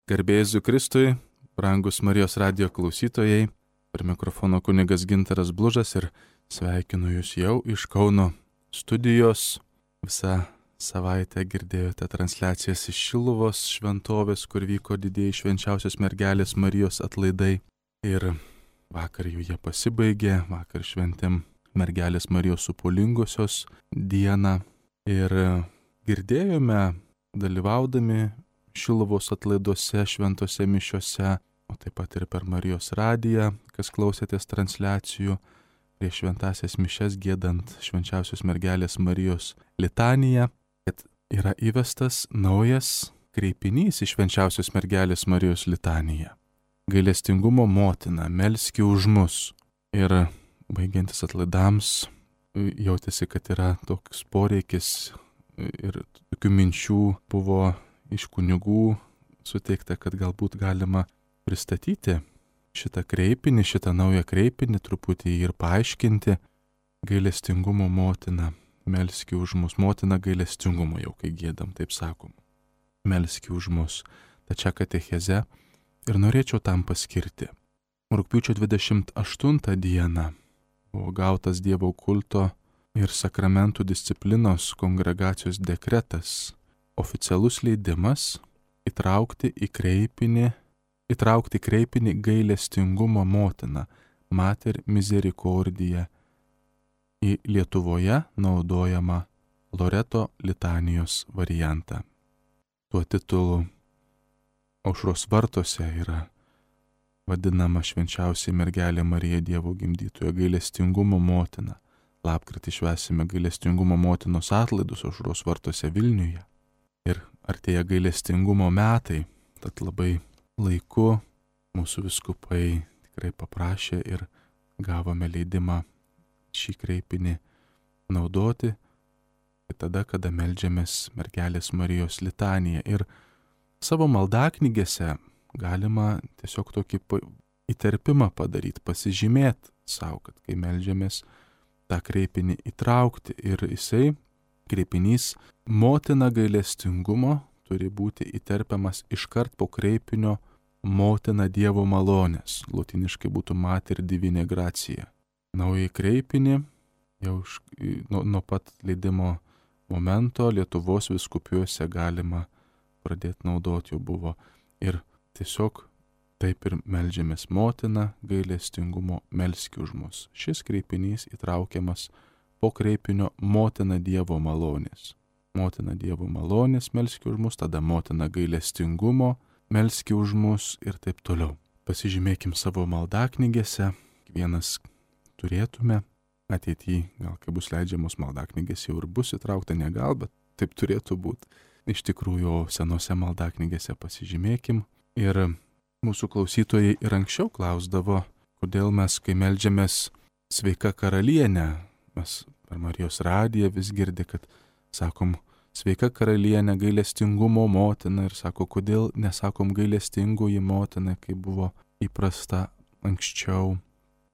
Garbė Jėzui Kristui, brangus Marijos radijo klausytojai, per mikrofono kunigas Gintaras Blužas ir sveikinu jūs jau iš Kauno studijos. Visą savaitę girdėjote transliacijas iš Šiluvos šventovės, kur vyko didieji švenčiausios mergelės Marijos atlaidai. Ir vakar jau jie pasibaigė, vakar šventėm mergelės Marijos supulingosios dieną. Ir girdėjome, dalyvaudami Šiluvos atlaiduose, šventose mišiose, o taip pat ir per Marijos radiją, kas klausėtės transliacijų, prieš šventasias mišias giedant švenčiausios mergelės Marijos litaniją, kad yra įvestas naujas kreipinys į švenčiausios mergelės Marijos litaniją. Gailestingumo motina, melski už mus. Ir baigiantis atlaidams jautėsi, kad yra toks poreikis ir tokių minčių buvo iš kunigų suteikta, kad galbūt galima pristatyti šitą kreipinį, šitą naują kreipinį, truputį ir paaiškinti. Gailestingumo motina, melski už mus. Motina gailestingumo, jau kai giedam, taip sakom. Melski už mus. Tačią katecheze ir norėčiau tam paskirti. Rugpjūčio 28 dieną buvo gautas Dievo kulto ir sakramentų disciplinos kongregacijos dekretas, oficialus leidimas įtraukti kreipinį gailestingumo motiną, Mater Misericordiae, į Lietuvoje naudojamą Loreto litanijos variantą. Tuo titulu Aušros vartuose yra vadinama švenčiausiai mergelė Marija Dievo gimdytoja, gailestingumo motina. Lapkritį švęsime gailestingumo motinos atlaidus Aušros vartuose Vilniuje. Ir artėja gailestingumo metai, tad labai laiku mūsų vyskupai tikrai paprašė ir gavome leidimą šį kreipinį naudoti tada, kada meldžiamės mergelės Marijos litaniją. Ir savo maldaknygėse galima tiesiog tokį įterpimą padaryti, pasižymėti savo, kad kai meldžiamės tą kreipinį įtraukti. Ir jisai, kreipinys motina gailestingumo, turi būti įterpiamas iškart po kreipinio motina Dievo malonės. Lotiniškai būtų Mater Divine Gratia. Naują kreipinį jau nuo pat leidimo momento Lietuvos vyskupijose galima pradėti naudoti, jau buvo. Ir tiesiog taip ir meldžiamės motina gailestingumo, melski už mus. Šis kreipinys įtraukiamas po kreipinio motina Dievo malonės. Motina Dievo malonės, melski už mus, tada motina gailestingumo, melski už mus ir taip toliau. Pasižymėkim savo maldaknygėse, kiekvienas turėtume ateityje, gal kai bus leidžiamos maldaknygės jau ir bus įtraukta, ne gal, bet taip turėtų būti. Iš tikrųjų, senose maldaknygėse pasižymėkim. Ir mūsų klausytojai ir anksčiau klausdavo, kodėl mes, kai meldžiamės sveika karalienė, mes per Marijos radiją vis girdi, kad sakom sveika karalienė, gailestingumo motina, ir sako, kodėl nesakom gailestingoji motina, kaip buvo įprasta anksčiau.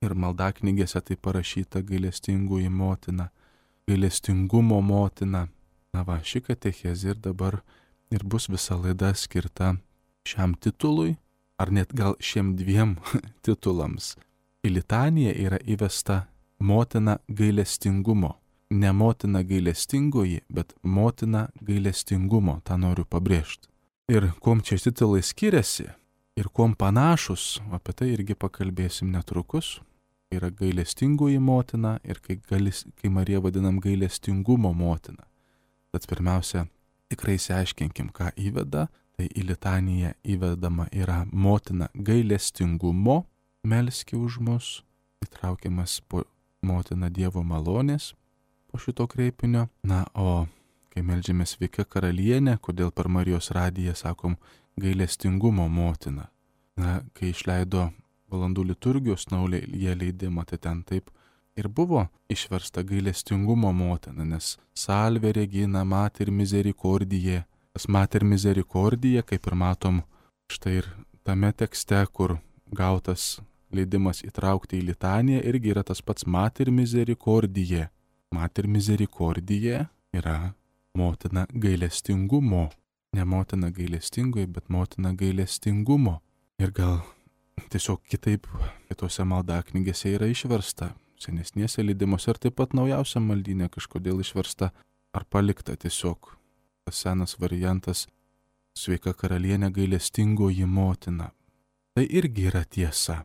Ir maldaknygėse tai parašyta gailestingoji motina, gailestingumo motina. Na va, ši katechezė ir dabar ir bus visa laida skirta šiam titului, ar net gal šiem dviem titulams. Į litaniją yra įvesta motina gailestingumo. Ne motina gailestingoji, bet motina gailestingumo, tą noriu pabrėžti. Ir kuom čia titulai skiriasi ir kuom panašus, apie tai irgi pakalbėsim netrukus. Yra gailestingoji motina ir kai Mariją vadinam gailestingumo motina. Tad pirmiausia, tikrai išsiaiškinkim, ką įveda. Tai į litaniją įvedama yra motina gailestingumo, melski už mus, įtraukiamas po motina Dievo malonės po šito kreipinio. Na, o kai meldžiamės sveika karalienė, kodėl per Marijos radiją sakom gailestingumo motina. Na, kai išleido valandų liturgijos naują leidimą, tai ten taip ir buvo išversta gailestingumo motina, nes Salve Regina Mater Misericordiae. Tas Mater Misericordiae, kaip ir matom, štai ir tame tekste, kur gautas leidimas įtraukti į litaniją, irgi yra tas pats Mater Misericordiae. Mater Misericordiae yra motina gailestingumo. Ne motina gailestingoji, bet motina gailestingumo. Ir gal tiesiog kitaip kitose maldaknygėse yra išversta, senesnėse leidimuose ir taip pat naujausia maldynė kažkodėl išversta ar palikta tiesiog tas senas variantas Sveika karalienė gailestingoji motina. Tai irgi yra tiesa.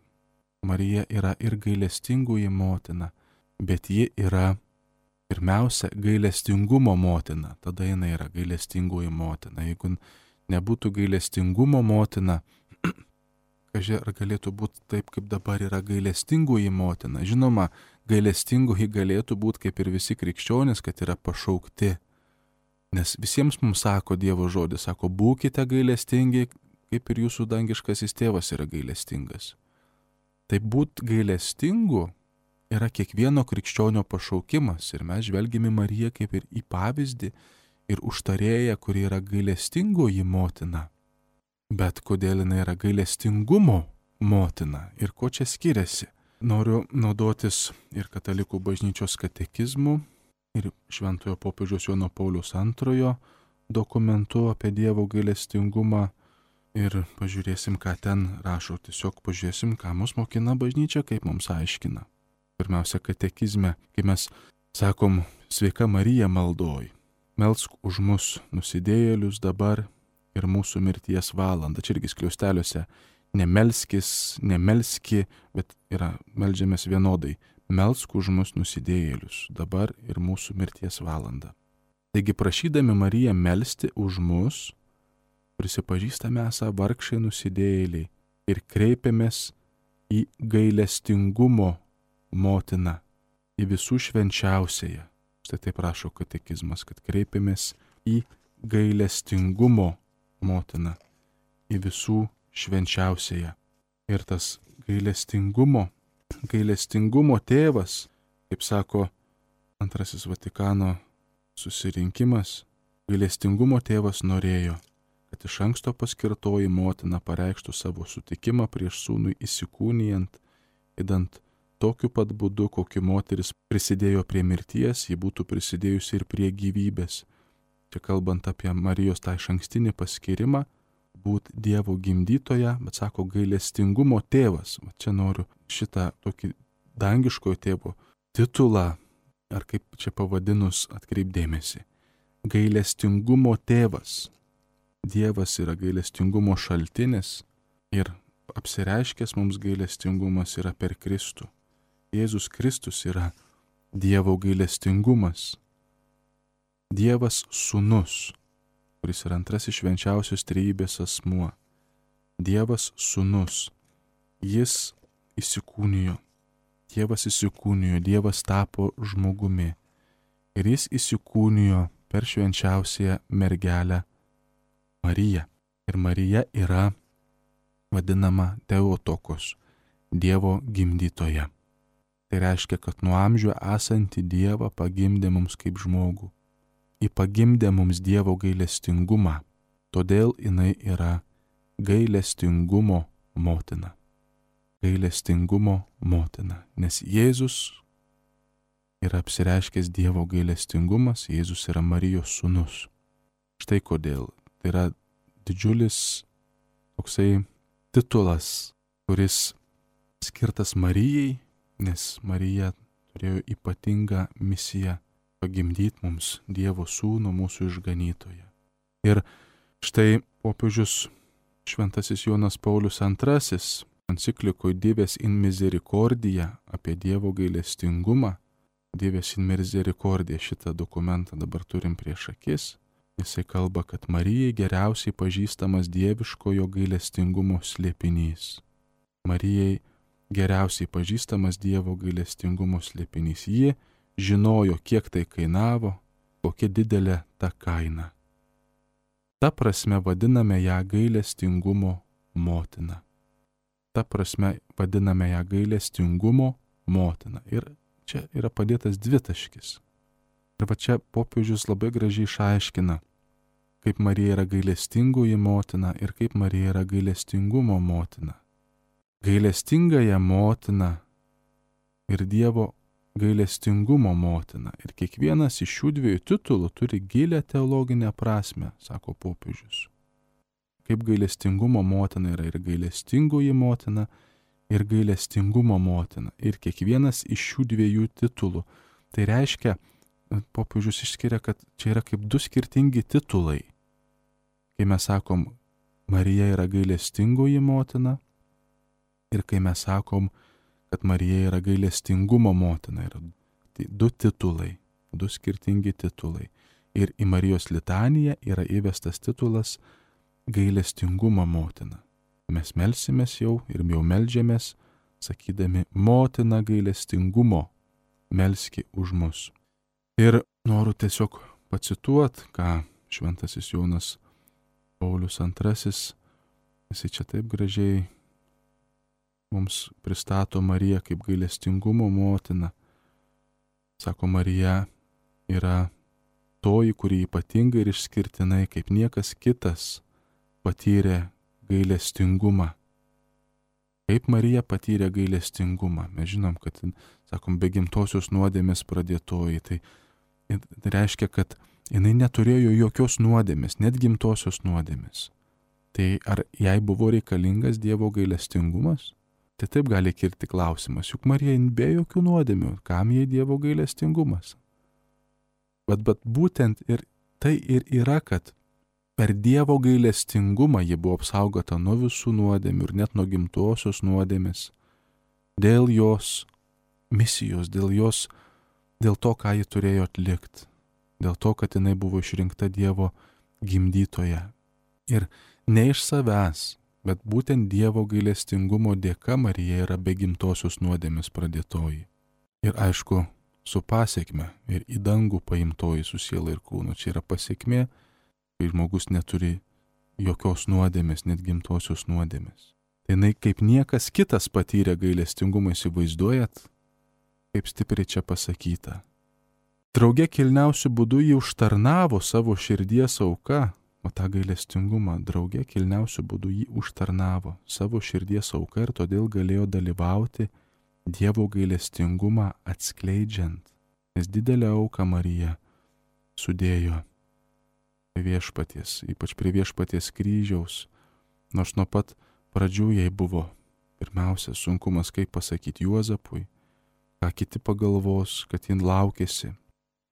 Marija yra ir gailestingoji motina, bet ji yra pirmiausia gailestingumo motina. Tada jinai yra gailestingoji motina. Jeigu nebūtų gailestingumo motina, kažkai ar galėtų būti taip, kaip dabar yra gailestingoji motina. Žinoma, gailestingoji galėtų būti kaip ir visi krikščionys, kad yra pašaukti. Nes visiems mums sako Dievo žodis, sako, būkite gailestingi, kaip ir jūsų dangiškasis tėvas yra gailestingas. Tai būt gailestingu yra kiekvieno krikščionio pašaukimas ir mes žvelgime Mariją kaip ir į pavyzdį ir užtarėją, kuri yra gailestingoji motina. Bet kodėl jinai yra gailestingumo motina ir ko čia skiriasi? Noriu naudotis ir katalikų bažnyčios katekizmu, ir Šventojo popiežiaus Jono Pauliaus II dokumentu apie Dievo gailestingumą ir pažiūrėsim, ką ten rašo. Tiesiog pažiūrėsim, ką mus mokina bažnyčia, kaip mums aiškina. Pirmiausia, katekizme, kai mes sakom, sveika Marija maldoj, melsk už mus nusidėjėlius dabar ir mūsų mirties valandą. Čia irgi skliausteliuose nemelski, bet yra meldžiamės vienodai. Melsk už mus nusidėjėlius, dabar ir mūsų mirties valandą. Taigi prašydami Mariją melsti už mus, prisipažįstame esą vargšai nusidėjėliai ir kreipiamės į gailestingumo motiną, į visų švenčiausiąją. Štai taip rašo katekizmas, kad kreipiamės į gailestingumo motiną, į visų švenčiausiąją. Ir tas gailestingumo tėvas, kaip sako Antrasis Vatikano susirinkimas, gailestingumo tėvas norėjo, kad iš anksto paskirtoji motina pareikštų savo sutikimą prieš sūnui įsikūnijant, idant tokiu pat būdu, kokiu moteris prisidėjo prie mirties, ji būtų prisidėjusi ir prie gyvybės. Čia kalbant apie Marijos tą išankstinį paskirimą, būt Dievo gimdytoja, bet sako gailestingumo tėvas. Va čia noriu šitą tokį dangiškojo tėvo titulą, ar kaip čia pavadinus, atkreipdėmėsi. Gailestingumo tėvas. Dievas yra gailestingumo šaltinis ir apsireiškęs mums gailestingumas yra per Kristų. Jėzus Kristus yra Dievo gailestingumas. Dievas sūnus, kuris yra antrasis švenčiausios trejybės asmuo. Dievas sūnus. Jis įsikūnijo. Dievas tapo žmogumi. Ir jis įsikūnijo per švenčiausiąją mergelę Mariją. Ir Marija yra vadinama Teotokos, Dievo gimdytoja. Tai reiškia, kad nuo amžių esantį Dievą pagimdė mums kaip žmogų. Ji pagimdė mums Dievo gailestingumą, todėl jinai yra gailestingumo motina. Gailestingumo motina, nes Jėzus yra apsireiškęs Dievo gailestingumas, Jėzus yra Marijos sūnus. Štai kodėl. Tai yra didžiulis toksai titulas, kuris skirtas Marijai, nes Marija turėjo ypatingą misiją pagimdyti mums Dievo sūnų, mūsų išganytoją. Ir štai popiežius Šventasis Jonas Paulius II enciklikoje Dives in Misericordia apie Dievo gailestingumą, Dives in Misericordia, šitą dokumentą dabar turim prieš akis, jisai kalba, kad Marijai geriausiai pažįstamas dieviškojo gailestingumo slėpinys. Marijai geriausiai pažįstamas Dievo gailestingumo slėpinys. Ji žinojo, kiek tai kainavo, kokia didelė ta kaina. Ta prasme vadiname ją gailestingumo motina. Ta prasme vadiname ją gailestingumo motina. Ir čia yra padėtas dvitaškis. Ir va čia popiežius labai gražiai išaiškina, kaip Marija yra gailestingoji motina ir kaip Marija yra gailestingumo motina. Gailestingąją motiną ir Dievo gailestingumo motina. Ir kiekvienas iš šių dviejų titulų turi gilę teologinę prasme, sako popiežius. Kaip gailestingumo motina yra ir gailestingoji motina, ir gailestingumo motina. Ir kiekvienas iš šių dviejų titulų. Tai reiškia, popiežius išskiria, kad čia yra kaip du skirtingi titulai. Kai mes sakom, Marija yra gailestingoji motina, ir kai mes sakom, kad Marija yra gailestingumo motina, yra du titulai, du skirtingi titulai. Ir į Marijos litaniją yra įvestas titulas gailestingumo motina. Mes melsimės jau ir jau meldžiamės, sakydami, motina gailestingumo, melski už mus. Ir noriu tiesiog pacituot, ką šventasis Jonas Paulius II, jisai čia taip gražiai mums pristato Mariją kaip gailestingumo motina. Sako, Marija yra toji, kuri ypatingai ir išskirtinai, kaip niekas kitas, patyrė gailestingumą. Kaip Marija patyrė gailestingumą? Mes žinom, kad, sakom, be gimtosios nuodėmės pradėtoji. Tai reiškia, kad jinai neturėjo jokios nuodėmės, net gimtosios nuodėmės. Tai ar jai buvo reikalingas Dievo gailestingumas? Tai taip gali kilti klausimas, juk Marija be jokių nuodėmių, kam jai Dievo gailestingumas? Bet būtent ir tai ir yra, kad per Dievo gailestingumą ji buvo apsaugota nuo visų nuodėmių ir net nuo gimtosios nuodėmės. Dėl jos misijos, dėl to, ką ji turėjo atlikti. Dėl to, kad jinai buvo išrinkta Dievo gimdytoja. Ir ne iš savęs, bet būtent Dievo gailestingumo dėka Marija yra be gimtosios nuodėmės pradėtoji. Ir aišku, su pasiekme ir į dangų paimtoji su siela ir kūnu. Čia yra pasiekmė, kai žmogus neturi jokios nuodėmės, net gimtosios nuodėmės. Tai jinai kaip niekas kitas patyrė gailestingumą, įsivaizduojat, kaip stipriai čia pasakyta. Drauge kilniausiu būdu jį užtarnavo savo širdies auka, o tą gailestingumą drauge kilniausiu būdu jį užtarnavo savo širdies auka ir todėl galėjo dalyvauti Dievo gailestingumą atskleidžiant, nes didelę auką Marija sudėjo prie viešpaties, ypač prie viešpaties kryžiaus, nors nuo pat pradžių jai buvo pirmiausia sunkumas, kaip pasakyti Juozapui, ką kiti pagalvos, kad jin laukėsi.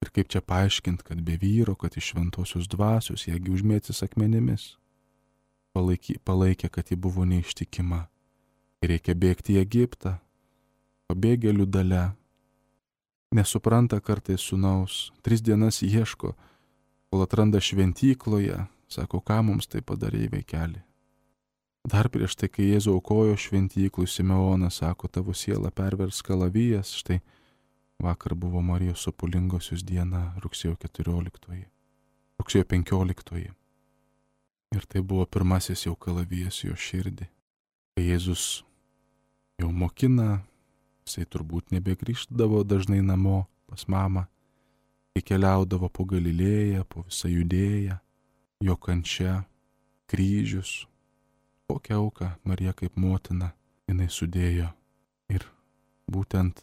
Ir kaip čia paaiškinti, kad be vyro, kad iš šventosios dvasios jėgi užmėtys akmenimis. Palaikė, kad ji buvo neištikima. Ir reikia bėgti į Egiptą, pabėgėlių dalia. Nesupranta kartais sūnaus, 3 dienas ieško, kol atranda šventykloje, sako, ką mums tai padarė vaikeli. Dar prieš tai, kai Jėzų aukojo šventyklui, Simeonas sako, tavo siela pervers kalavijas, štai vakar buvo Marijos Sopulingosios diena, rugsėjo 14, rugsėjo 15. Ir tai buvo pirmasis jau kalavijas jo širdį. Kai Jėzus jau mokina, jisai turbūt nebegrįždavo dažnai namo pas mamą, kai keliaudavo po Galilėją, po visą Judėją, jo kančia, kryžius, kokią auką Marija kaip motina jinai sudėjo. Ir būtent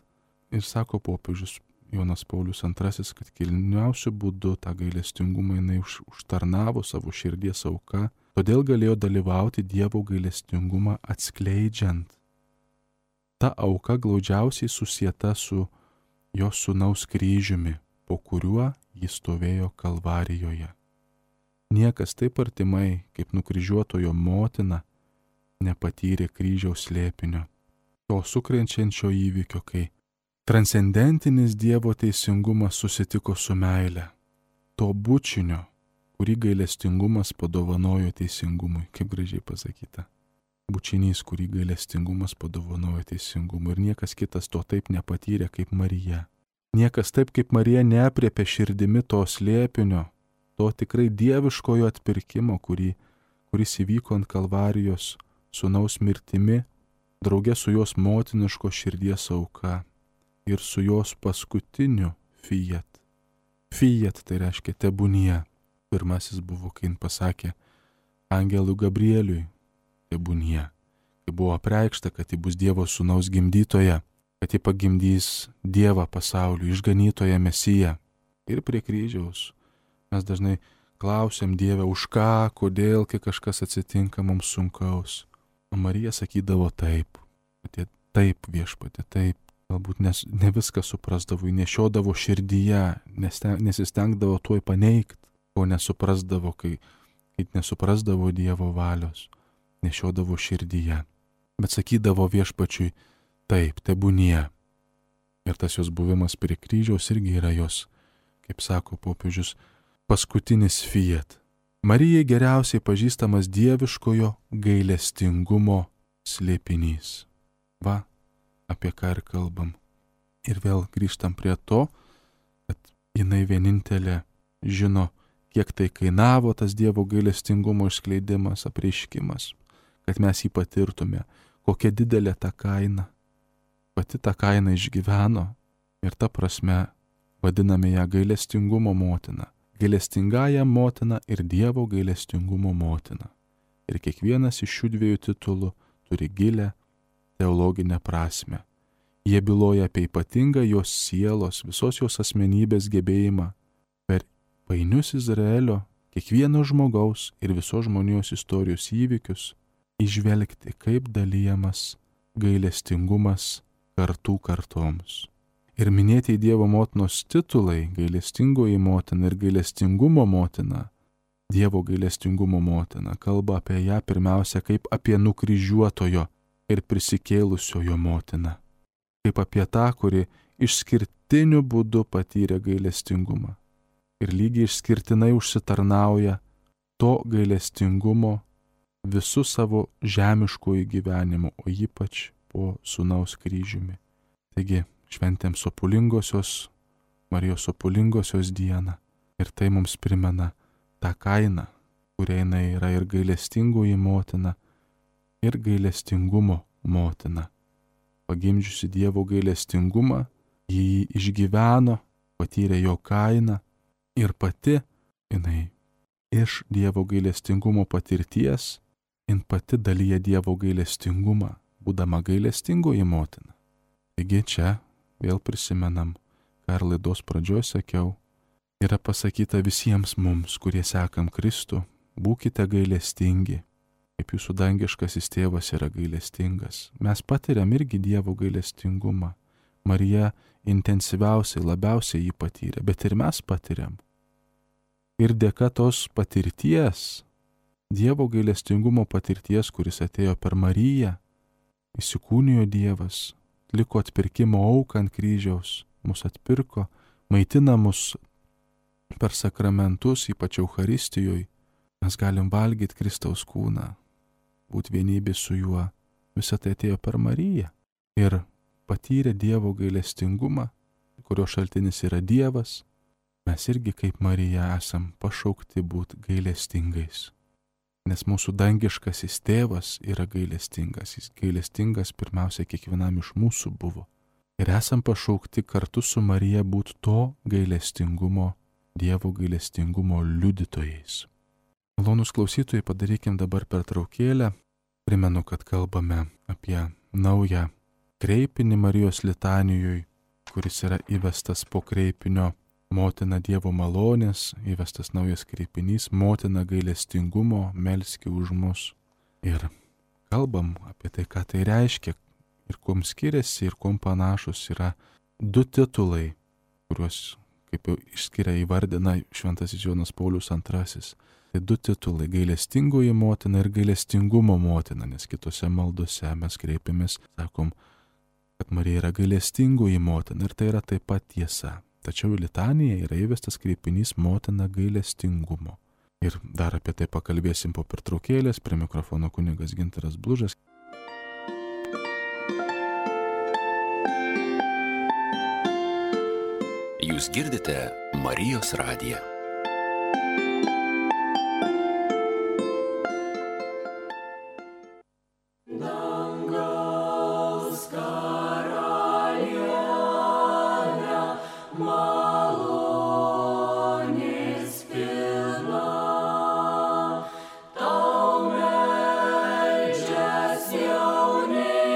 ir sako popiežius Jonas Paulius II, kad kilniausiu būdu tą gailestingumą jinai užtarnavo savo širdies auka, todėl galėjo dalyvauti Dievo gailestingumą atskleidžiant. Ta auka glaudžiausiai susieta su jos sūnaus kryžiumi, po kuriuo jis stovėjo Kalvarijoje. Niekas taip artimai, kaip nukryžiuotojo motina, nepatyrė kryžiaus slėpinio, to sukrenčiančio įvykio, kai transcendentinis Dievo teisingumas susitiko su meile, to bučinio, kurį gailestingumas padovanojo teisingumui, kaip gražiai pasakyta. Bučinys, kurį gailestingumas padovanojo teisingumui. Ir niekas kitas to taip nepatyrė kaip Marija. Niekas taip kaip Marija neapriepė širdimi to slėpinio, to tikrai dieviškojo atpirkimo, kuris įvyko ant Kalvarijos sūnaus mirtimi, drauge su jos motiniško širdies auka. Ir su jos paskutiniu fiat. Fiat tai reiškia tebūnie. Pirmasis buvo, kai jin pasakė angelui Gabrieliui tebūnie. Kai buvo apreikšta, kad ji bus Dievo sūnaus gimdytoja. kad ji pagimdys Dievą pasauliui, išganytoją Mesiją. Ir prie kryžiaus mes dažnai klausiam Dievę, už ką, kodėl, kai kažkas atsitinka mums sunkaus. O Marija sakydavo taip, taip viešpatie, taip. Galbūt ne viską suprasdavo, nešiodavo širdyje, nesistengdavo tuoj paneigti, ko nesuprasdavo, kai nesuprasdavo Dievo valios, nešiodavo širdyje. Bet sakydavo viešpačiui, taip, tebūnie. Ir tas jos buvimas prie kryžiaus irgi yra jos, kaip sako popiežius, paskutinis fiat. Marijai geriausiai pažįstamas dieviškojo gailestingumo slėpinys. Va, apie ką ir kalbam. Ir vėl grįžtam prie to, kad jinai vienintelė žino, kiek tai kainavo tas Dievo gailestingumo išskleidimas, apreiškimas, kad mes jį patirtume, kokia didelė ta kaina. Pati tą kainą išgyveno ir ta prasme vadiname ją gailestingumo motina. Gailestingąją motiną ir Dievo gailestingumo motiną. Ir kiekvienas iš šių dviejų titulų turi gilę teologinę prasme. Jie byloja apie ypatingą jos sielos, visos jos asmenybės gebėjimą per painius Izraelio, kiekvieno žmogaus ir visos žmonijos istorijos įvykius įžvelgti, kaip dalyjamas gailestingumas kartų kartoms. Ir minėti Dievo motinos titulai, gailestingoji motina ir gailestingumo motina, Dievo gailestingumo motina, kalba apie ją pirmiausia kaip apie nukryžiuotojo ir prisikėlusiojo motiną, kaip apie tą, kuri išskirtiniu būdu patyrė gailestingumą ir lygiai išskirtinai užsitarnauja to gailestingumo visų savo žemiškųjų gyvenimų, o ypač po sūnaus kryžiumi. Taigi, šventėm sopulingosios, Marijos sopulingosios dieną ir tai mums primena tą kainą, kuria jinai yra ir gailestingoji motina, ir gailestingumo motina. Pagimdžiusi Dievo gailestingumą, jį išgyveno, patyrė jo kainą ir pati jinai iš Dievo gailestingumo patirties, jin pati dalyja Dievo gailestingumą, būdama gailestingoji motina. Taigi čia vėl prisimenam, ką ir laidos pradžioje sakiau, yra pasakyta visiems mums, kurie sekam Kristų, būkite gailestingi, kaip jūsų dangiškasis tėvas yra gailestingas. Mes patiriam irgi Dievo gailestingumą. Marija intensyviausiai, labiausiai jį patyrė, bet ir mes patiriam. Ir dėka tos patirties, Dievo gailestingumo patirties, kuris atėjo per Mariją, įsikūnijo Dievas, liko atpirkimo auką ant kryžiaus, mus atpirko, maitina mus per sakramentus, ypač Eucharistijoje. Mes galim valgyti Kristaus kūną, būti vienybė su juo. Visą tai atėjo per Mariją ir patyrė Dievo gailestingumą, kurio šaltinis yra Dievas. Mes irgi kaip Marija esam pašaukti būti gailestingais. Nes mūsų dangiškasis tėvas yra gailestingas. Jis gailestingas pirmiausia kiekvienam iš mūsų buvo. Ir esam pašaukti kartu su Marija būti to gailestingumo, Dievo gailestingumo liudytojais. Malonūs klausytojai, padarykim dabar pertraukėlę. Primenu, kad kalbame apie naują kreipinį Marijos litanijoj, kuris yra įvestas po kreipinio Motina Dievo malonės, įvestas naujas kreipinys, Motina gailestingumo, melski už mus. Ir kalbam apie tai, ką tai reiškia ir kuom skiriasi ir kuom panašus yra du titulai, kuriuos, kaip jau išskiria įvardina šventasis Jonas Paulius II. Tai du titulai - gailestingoji motina ir gailestingumo motina, nes kitose maldose mes kreipiamės, sakom, kad Marija yra gailestingoji motina ir tai yra taip pat tiesa. Tačiau į litaniją yra įvestas kreipinys Motina gailestingumo. Ir dar apie tai pakalbėsim po pertraukėlės. Prie mikrofono kunigas Gintaras Blužas. Jūs girdite Marijos radiją.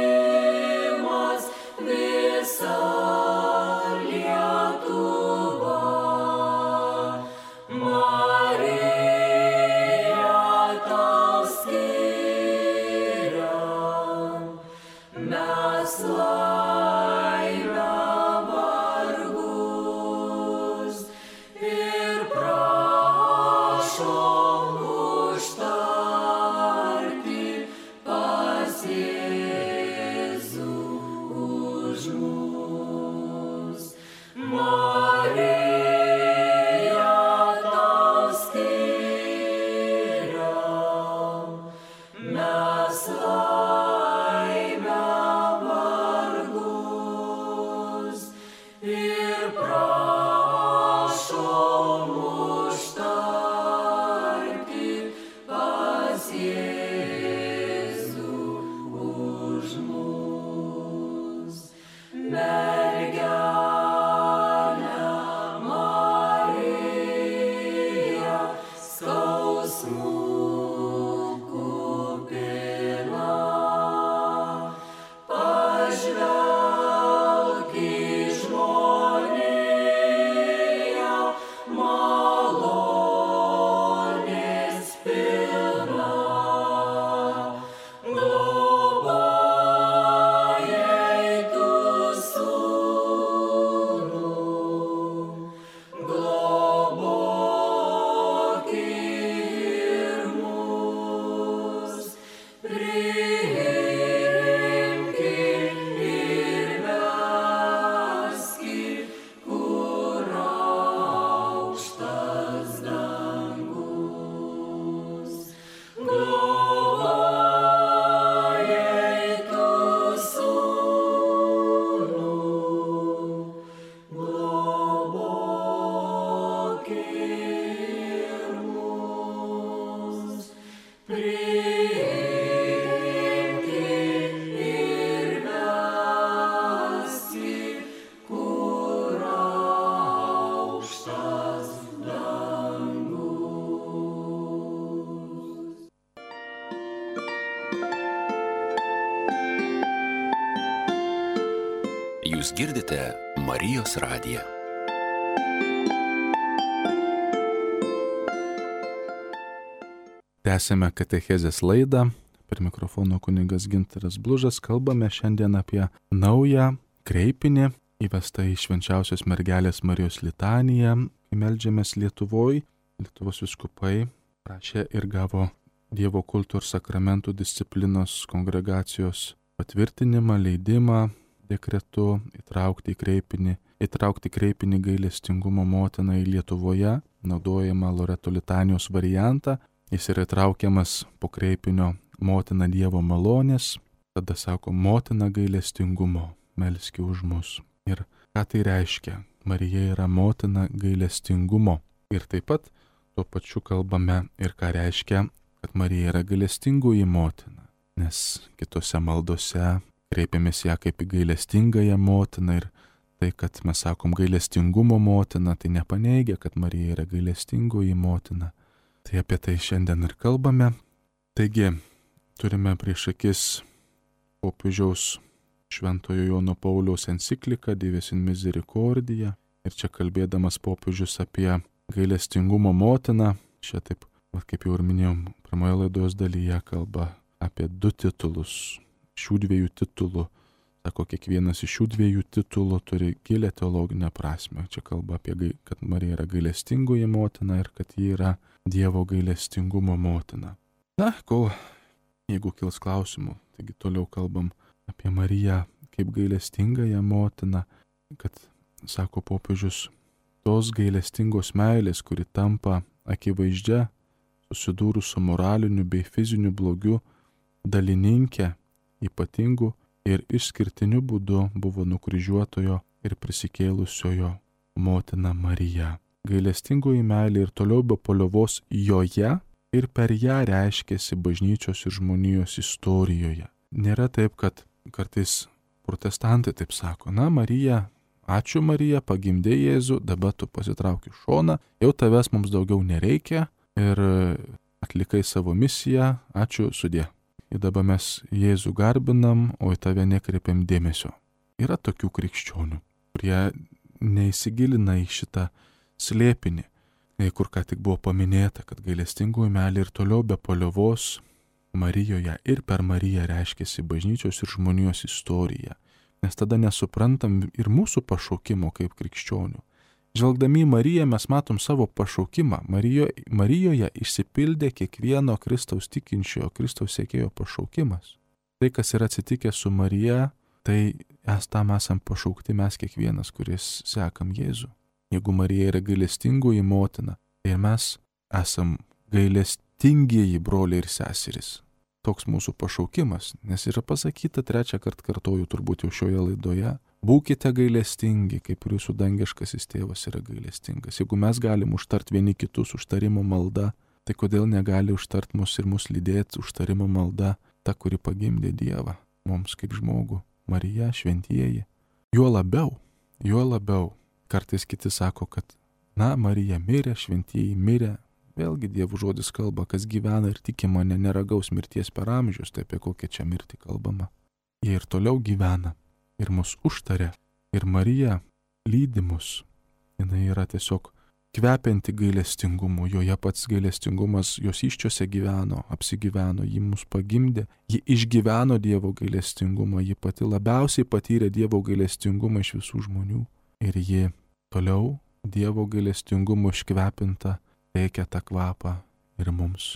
Jaunimas vis Jūs girdite Marijos radiją. Tęsėme katechezės laidą. Per mikrofono kunigas Gintaras Blužas. Kalbame šiandien apie naują kreipinį įvestą į Švenčiausios mergelės Marijos litaniją. Meldžiamės Lietuvoje. Lietuvos vyskupai prašė ir gavo Dievo kulto ir sakramentų disciplinos kongregacijos patvirtinimą, leidimą dekretu įtraukti kreipinį gailestingumo motiną į Lietuvoje naudojamą Loreto litanijos variantą. Jis yra įtraukiamas po kreipinio motina Dievo malonės, tada sako motina gailestingumo, melski už mus. Ir ką tai reiškia? Marija yra motina gailestingumo. Ir taip pat tuo pačiu kalbame ir ką reiškia, kad Marija yra gailestingoji motina. Nes kitose maldose kreipiamės ją kaip į gailestingąją motiną ir tai, kad mes sakom gailestingumo motina, tai nepaneigia, kad Marija yra gailestingoji motina. Tai apie tai šiandien ir kalbame. Taigi, turime prieš akis popiežiaus Šventojo Jono Pauliaus encikliką Dives in Misericordia. Ir čia kalbėdamas popiežius apie gailestingumo motiną, čia taip, kaip jau ir minėjom, pirmoje laidos dalyje kalba apie 2 titulus. Šių 2 titulų, sako, kiekvienas iš šių 2 titulų turi gilę teologinę prasmę. Čia kalba apie, kad Marija yra gailestingoji motina ir kad ji yra Dievo gailestingumo motina. Na, jeigu kils klausimų, taigi toliau kalbam apie Mariją kaip gailestingąją motiną, kad, sako popiežius, tos gailestingos meilės, kuri tampa akivaizdžia, susidūrus su moraliniu bei fiziniu blogiu, dalininkė ypatingu ir išskirtiniu būdu buvo nukryžiuotojo ir prisikėlusiojo motina Marija. Gailestingoji meilė ir toliau be paliovos joje ir per ją reiškėsi bažnyčios ir žmonijos istorijoje. Nėra taip, kad kartais protestantai taip sako, na Marija, ačiū Marija, pagimdė Jėzų, dabar tu pasitrauki šoną, jau tavęs mums daugiau nereikia ir atlikai savo misiją, ačiū sudie. Ir dabar mes Jėzų garbinam, o į tave nekreipiam dėmesio. Yra tokių krikščionių, kurie neįsigilina į šitą slėpinį, kur ką tik buvo paminėta, kad gailestingoji meilė ir toliau be paliovos Marijoje ir per Mariją reiškėsi bažnyčios ir žmonijos istorija. Nes tada nesuprantam ir mūsų pašaukimo kaip krikščionių. Žvelgdami į Mariją mes matom savo pašaukimą. Marijoje išsipildė kiekvieno Kristaus tikinčiojo, Kristaus sekėjo pašaukimas. Tai, kas yra atsitikę su Marija, tai tam esam pašaukti mes kiekvienas, kuris sekam Jėzų. Jeigu Marija yra gailestingoji motina, tai mes esam gailestingieji broliai ir seserys. Toks mūsų pašaukimas, nes yra pasakyta 3 kartą kartoju turbūt jau šioje laidoje, būkite gailestingi, kaip ir jūsų dangiškasis tėvas yra gailestingas. Jeigu mes galim užtart vieni kitus užtarimo malda, tai kodėl negali užtart mus ir mus lydėti užtarimo malda ta, kuri pagimdė Dievą, mums kaip žmogų, Marija, šventieji. Juo labiau, kartais kiti sako, kad, na, Marija mirė, šventieji mirė. Vėlgi Dievo žodis kalba, kas gyvena ir tiki mane, neragaus mirties per amžius, tai apie kokią čia mirtį kalbama. Jie ir toliau gyvena ir mus užtarė. Ir Marija lydi mus. Jinai yra tiesiog kvepianti gailestingumu. Joje pats gailestingumas jos iščiose gyveno, apsigyveno, ji mus pagimdė, ji išgyveno Dievo gailestingumą, ji pati labiausiai patyrė Dievo gailestingumą iš visų žmonių. Ir ji toliau Dievo gailestingumo iškvepinta teikia tą kvapą ir mums.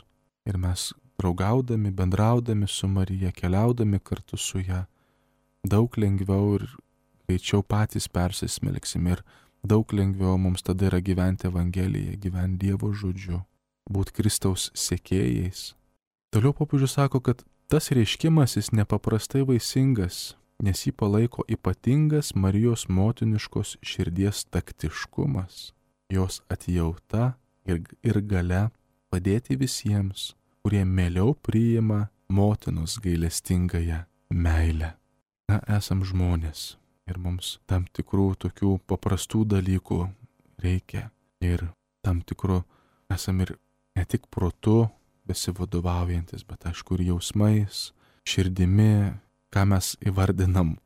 Ir mes draugaudami, bendraudami su Marija, keliaudami kartu su ją, daug lengviau ir greičiau patys persismelksim ir daug lengviau mums tada yra gyventi Evangeliją, gyventi Dievo žodžiu, būti Kristaus sekėjais. Toliau popiežius sako, kad tas reiškimas jis nepaprastai vaisingas, nes jį palaiko ypatingas Marijos motiniškos širdies taktiškumas, jos atjauta ir galia padėti visiems, kurie mieliau priima motinos gailestingąją meilę. Na, esam žmonės ir mums tam tikrų tokių paprastų dalykų reikia ir tam tikrų esam ir ne tik protu besivadovaujantis, bet aišku ir jausmais, širdimi, ką mes įvardinam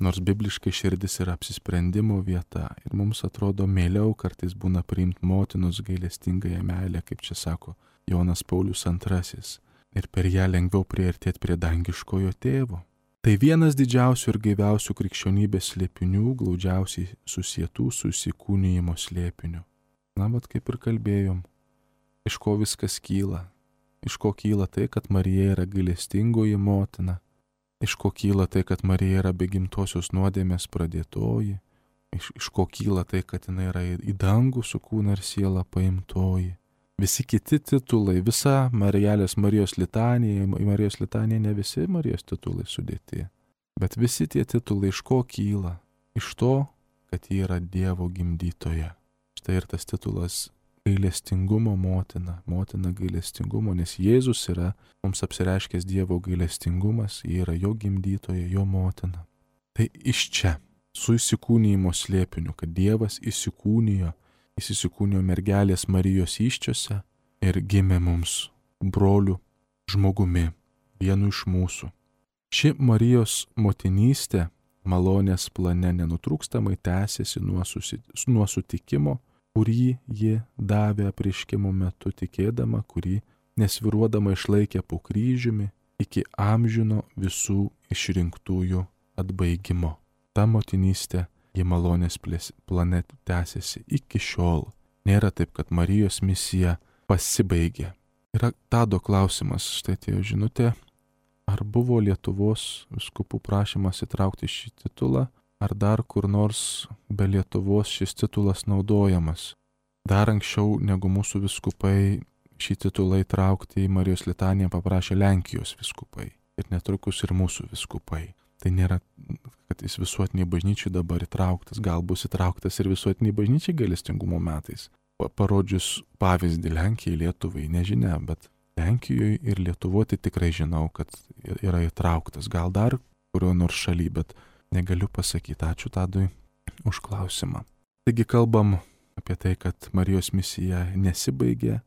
Nors bibliškai širdis yra apsisprendimo vieta ir mums atrodo mieliau kartais būna priimti motinos gailestingąją meilę, kaip čia sako Jonas Paulius II, ir per ją lengviau priartėti prie dangiškojo tėvo. Tai vienas didžiausių ir gaiviausių krikščionybės slėpinių, glaudžiausiai susietų su įsikūnijimo slėpiniu. Na, bet kaip ir kalbėjom, iš ko viskas kyla? Iš ko kyla tai, kad Marija yra gailestingoji motina? Iš ko kyla tai, kad Marija yra be gimtosios nuodėmės pradėtoji? Iš ko kyla tai, kad jinai yra į dangų su kūną ir siela paimtoji? Visi kiti titulai, visa Marijos litanija, Marijos litanija ne visi Marijos titulai sudėti, bet visi tie titulai iš ko kyla? Iš to, kad ji yra Dievo gimdytoja. Štai ir tas titulas gailestingumo motina, motina gailestingumo, nes Jėzus yra mums apsireiškęs Dievo gailestingumas, ji yra jo gimdytoja, jo motina. Tai iš čia, su įsikūnijimo slėpiniu, kad Dievas įsikūnijo mergelės Marijos įsčiose ir gimė mums brolių žmogumi, vienu iš mūsų. Ši Marijos motinystė malonės plane nenutrūkstamai tęsiasi nuo sutikimo, kurį ji davė apreiškimo metu tikėdama, kurį nesviruodama išlaikė po kryžiumi iki amžino visų išrinktųjų atbaigimo. Ta motinystė ji malonės plane tęsiasi iki šiol. Nėra taip, kad Marijos misija pasibaigė. Yra Tado klausimas, štai atėjo žinutė, ar buvo Lietuvos vyskupų prašymas įtraukti šį titulą, ar dar kur nors be Lietuvos šis titulas naudojamas. Dar anksčiau negu mūsų vyskupai šį titulą įtraukti į Marijos litaniją paprašė Lenkijos vyskupai ir netrukus ir mūsų vyskupai. Tai nėra, kad jis visuotiniai bažnyčiai dabar įtrauktas, gal bus įtrauktas ir visuotiniai bažnyčiai gailestingumo metais. Parodžius pavyzdį Lenkijai, Lietuvai, nežinia, bet Lenkijoje ir Lietuvoje tai tikrai žinau, kad yra įtrauktas. Gal dar kurio nors šaly, bet negaliu pasakyti. Ačiū Tadui už klausimą. Taigi kalbam apie tai, kad Marijos misija nesibaigė,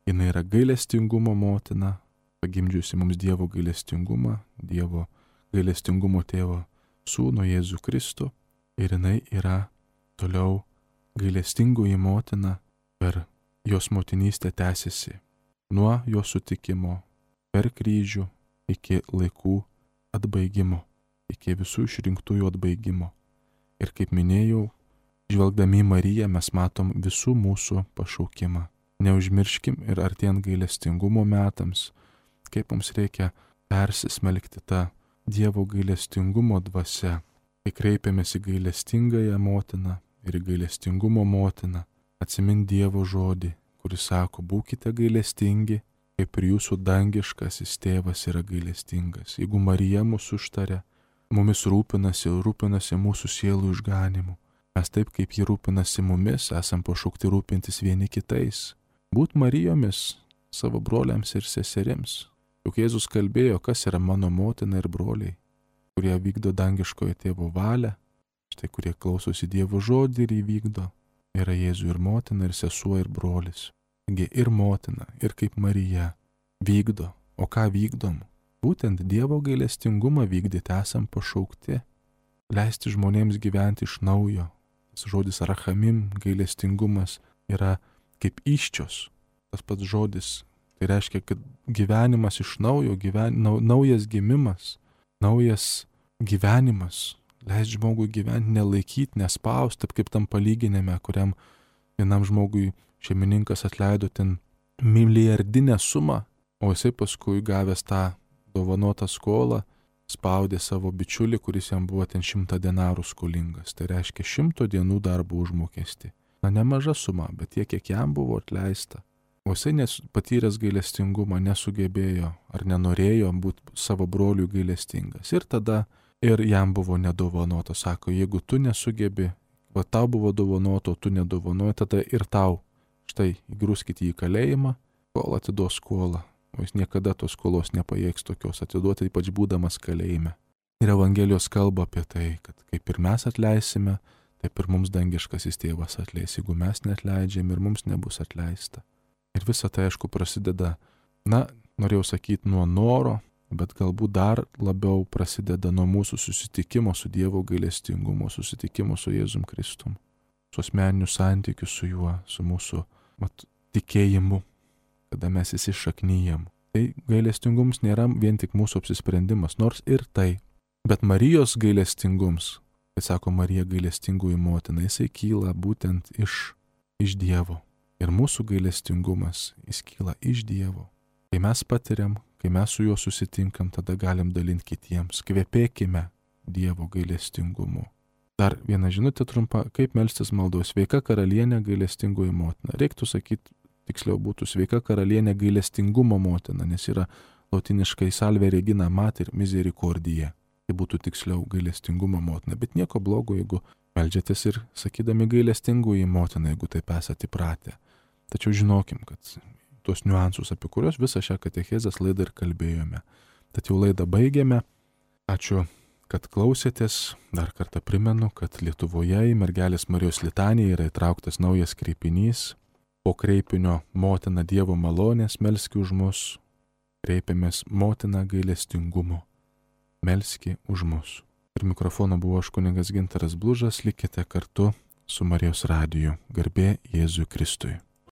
jinai yra gailestingumo motina, pagimdžiusi mums Dievo gailestingumą, Dievo gailestingumo tėvo sūnų Jėzų Kristų, ir jinai yra toliau gailestingoji motina. Per jos motinystę tęsiasi nuo jo sutikimo per kryžių iki laikų atbaigimo, iki visų išrinktųjų atbaigimo. Ir kaip minėjau, žvelgdami į Mariją mes matom visų mūsų pašaukimą. Neužmirškim ir artėjant gailestingumo metams, kaip mums reikia persismelkti tą Dievo gailestingumo dvasia, kai kreipiamės į gailestingąją motiną ir į gailestingumo motiną, atsimint Dievo žodį, kuris sako, būkite gailestingi, kaip ir jūsų dangiškasis tėvas yra gailestingas. Jeigu Marija mūsų užtaria, mumis rūpinasi mūsų sielų išganimu. Mes taip, kaip ji rūpinasi mumis, esam pašaukti rūpintis vieni kitais. Būt Marijomis savo broliams ir seserims. Juk Jėzus kalbėjo, kas yra mano motina ir broliai, kurie vykdo dangiškojo tėvo valią, štai kurie klausosi Dievo žodį ir įvykdo. Yra Jėzų ir motina, ir sesuo, ir brolis. Taigi ir motina, ir kaip Marija vykdo. O ką vykdom? Būtent Dievo gailestingumą vykdyti esam pašaukti. Leisti žmonėms gyventi iš naujo. Tas žodis rachamim, gailestingumas, yra kaip įsčios. Tas pats žodis. Tai reiškia, kad gyvenimas iš naujo, naujas gimimas, naujas gyvenimas. Leist žmogui gyventi, nelaikyti, nespausti, taip kaip tam palyginime, kuriam vienam žmogui šeimininkas atleido ten milijardinę sumą, o jisai paskui gavęs tą dovanotą skolą, spaudė savo bičiulį, kuris jam buvo ten 100 denarų skolingas. Tai reiškia 100 dienų darbo užmokestį. Na, nemaža suma, bet tiek, kiek jam buvo atleista. O jisai patyręs gailestingumą nesugebėjo ar nenorėjo būti savo broliui gailestingas. Ir tada ir jam buvo nedovanota. Sako, jeigu tu nesugebi, va tau buvo dovanota, o tu nedovanoji, tada ir tau. Štai, įgrūskit jį į kalėjimą, kol atiduos skolą. O jis niekada tos skolos nepajėgs tokios atiduoti, ypač būdamas kalėjime. Ir Evangelijos kalba apie tai, kad kaip ir mes atleisime, taip ir mums dangiškasis tėvas atleis. Jeigu mes neatleidžiam, ir mums nebus atleista. Ir visa tai, aišku, prasideda, norėjau sakyti, nuo noro, bet galbūt dar labiau prasideda nuo mūsų susitikimo su Dievo gailestingumo, susitikimo su Jėzum Kristum, su asmeniniu santykiu su juo, su mūsų tikėjimu, kada mes įsišaknyjam. Tai gailestingumas nėra vien tik mūsų apsisprendimas, nors ir tai, bet Marijos gailestingums, kai sako Marija gailestingųjų motina, jisai kyla būtent iš Dievo. Ir mūsų gailestingumas, jis kyla iš Dievo. Kai mes patiriam, kai mes su juo susitinkam, tada galim dalinti kitiems. Kvepėkime Dievo gailestingumu. Dar viena žinutė trumpa, kaip melstis maldos. Sveika karalienė gailestingųjų motina. Reiktų sakyti, tiksliau būtų sveika karalienė gailestingumo motina, nes yra lotiniškai salve regina mater misericordiae. Tai būtų tiksliau gailestingumo motina. Bet nieko blogo, jeigu meldžiatės ir sakydami gailestingųjų motina, jeigu taip esate įpratę. Tačiau žinokim, kad tuos niuansus, apie kuriuos visą šią katechezės laidą ir kalbėjome. Tad jau laidą baigėme. Ačiū, kad klausėtės. Dar kartą primenu, kad Lietuvoje į Mergelės Marijos litaniją yra įtrauktas naujas kreipinys. Po kreipinio Motina Dievo malonės melski už mus. Kreipiamės Motina gailestingumo. Melski už mus. Ir mikrofono buvo aš kunigas Gintaras Blužas. Likite kartu su Marijos radiju. Garbė Jėzui Kristui.